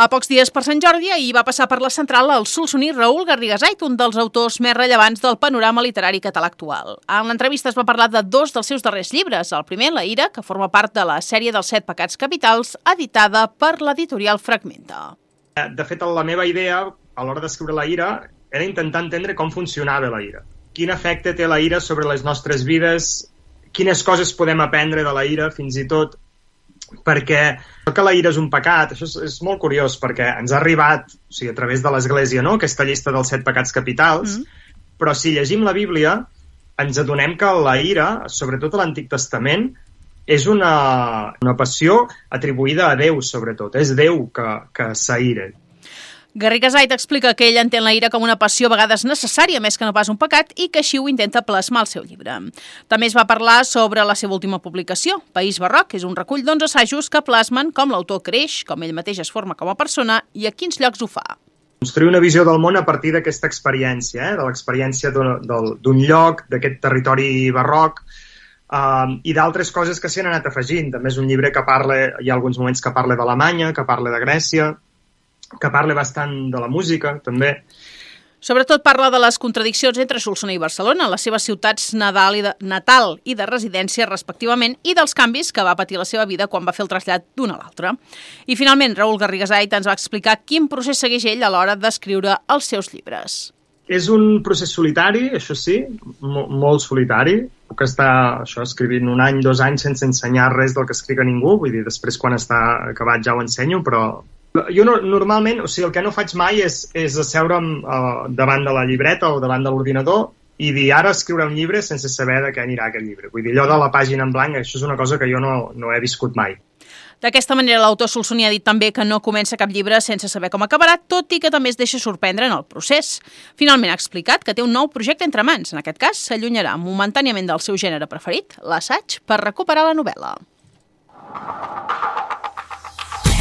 A pocs dies per Sant Jordi, ahir va passar per la central el solsoní Raül Garrigasait, un dels autors més rellevants del panorama literari català actual. En l'entrevista es va parlar de dos dels seus darrers llibres. El primer, La ira, que forma part de la sèrie dels 7 pecats capitals, editada per l'editorial Fragmenta. De fet, la meva idea, a l'hora d'escriure La ira, era intentar entendre com funcionava la ira. Quin efecte té la ira sobre les nostres vides, quines coses podem aprendre de la ira, fins i tot perquè que la ira és un pecat. Això és molt curiós, perquè ens ha arribat, o sigui, a través de l'Església, no?, aquesta llista dels 7 pecats capitals, però si llegim la Bíblia ens adonem que la ira, sobretot a l'Antic Testament, és una passió atribuïda a Déu, sobretot. És Déu que s'aïra. Garrigasait explica que ell entén la ira com una passió a vegades necessària, més que no pas un pecat, i que així ho intenta plasmar al seu llibre. També es va parlar sobre la seva última publicació, País Barroc, és un recull d'11 assajos que plasmen com l'autor creix, com ell mateix es forma com a persona i a quins llocs ho fa. Construir una visió del món a partir d'aquesta experiència, de l'experiència d'un lloc, d'aquest territori barroc, i d'altres coses que s'hi han anat afegint. També és un llibre que parla, hi ha alguns moments que parla d'Alemanya, que parla de Grècia, que parla bastant de la música, també. Sobretot parla de les contradiccions entre Solsona i Barcelona, les seves ciutats natal i de residència, respectivament, i dels canvis que va patir la seva vida quan va fer el trasllat d'una a l'altra. I finalment, Raül Garrigasait ens va explicar quin procés segueix ell a l'hora d'escriure els seus llibres. És un procés solitari, això sí, molt solitari. Puc estar escrivint 1 any, 2 anys sense ensenyar res del que escric a ningú, vull dir, després quan està acabat ja ho ensenyo, però jo normalment, o sigui, el que no faig mai és asseure'm davant de la llibreta o davant de l'ordinador i dir ara escriure un llibre sense saber de què anirà aquest llibre. Vull dir, allò de la pàgina en blanc, això és una cosa que jo no he viscut mai. D'aquesta manera, l'autor solsoní ha dit també que no comença cap llibre sense saber com acabarà, tot i que també es deixa sorprendre en el procés. Finalment ha explicat que té un nou projecte entre mans. En aquest cas, s'allunyarà momentàniament del seu gènere preferit, l'assaig, per recuperar la novel·la.